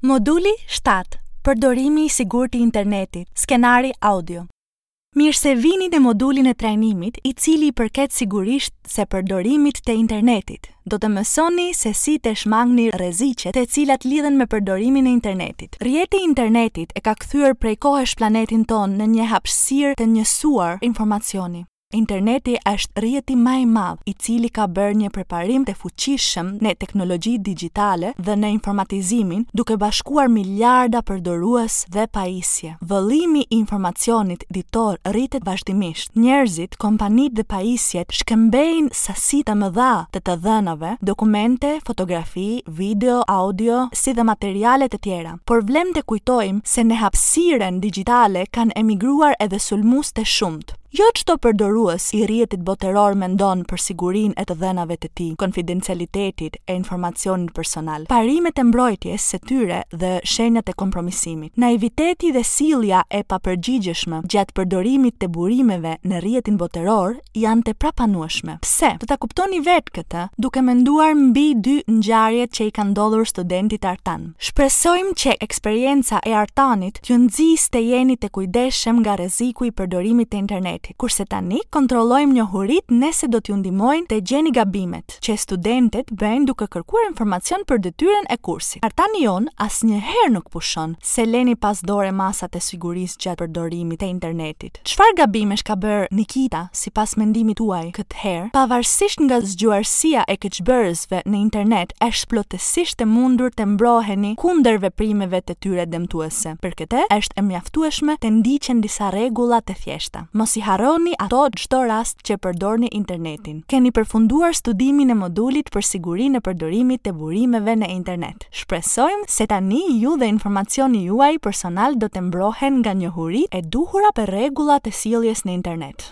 Moduli 7. Përdorimi i sigurt i internetit. Skenari audio. Mirë se vini në modulin e trajnimit, i cili i përket sigurisht se përdorimit të internetit. Do të mësoni se si të shmangni rreziqet të cilat lidhen me përdorimin e internetit. Rrjeti i internetit e ka kthyer prej kohësh planetin tonë në një hapësirë të njësuar informacioni. Interneti është rrjeti ma i madh, i cili ka bërë një përparim të fuqishëm në teknologjitë digjitale dhe në informatizimin, duke bashkuar miliarda përdorues dhe pajisje. Vëllimi i informacionit ditor rritet vazhdimisht. Njerëzit, kompanitë dhe pajisjet shkëmbejnë sasi të mëdha të të dhënave, dokumente, fotografi, video, audio, si dhe materiale të tjera. Por vlen të kujtojmë se në hapësirën digjitale kanë emigruar edhe sulmues të shumtë. Jo çdo përdorues i rrjetit botëror mendon për sigurinë e të dhënave të tij, konfidencialitetit e informacionit personal, parimet e mbrojtjes së tyre dhe shenjat e kompromisimit. Naiviteti dhe sjellja e papërgjegjshme gjatë përdorimit të burimeve në rrjetin botëror janë të papranueshme. Pse? Do ta kuptoni vetë këtë duke menduar mbi dy ngjarjet që i kanë ndodhur studentit Artan. Shpresojmë që eksperienca e Artanit t'ju nxisë të jeni të kujdesshëm nga rreziku i përdorimit të internetit. Kurse tani kontrollojmë njohuritë nëse do t'ju ndihmojnë të gjeni gabimet që studentët bëjnë duke kërkuar informacion për detyrën e kursit. Artani jonë asnjëherë nuk pushon së lëni pas dore masat e sigurisë gjatë përdorimit të internetit. Çfarë gabimesh ka bërë Nikita, sipas mendimit tuaj, këtë herë? Pavarësisht nga zgjuarsia e keqbërësve në internet, është plotësisht e mundur të mbroheni kundër veprimeve të tyre dëmtuese. Për këtë, është e mjaftueshme të ndiqen disa rregulla të thjeshta. Mos i harroni ato çdo rast që përdorni internetin. Keni përfunduar studimin e modulit për sigurinë e përdorimit të burimeve në internet. Shpresojmë se tani ju dhe informacioni juaj personal do të mbrohen nga njohuritë e duhura për rregullat e sjelljes në internet.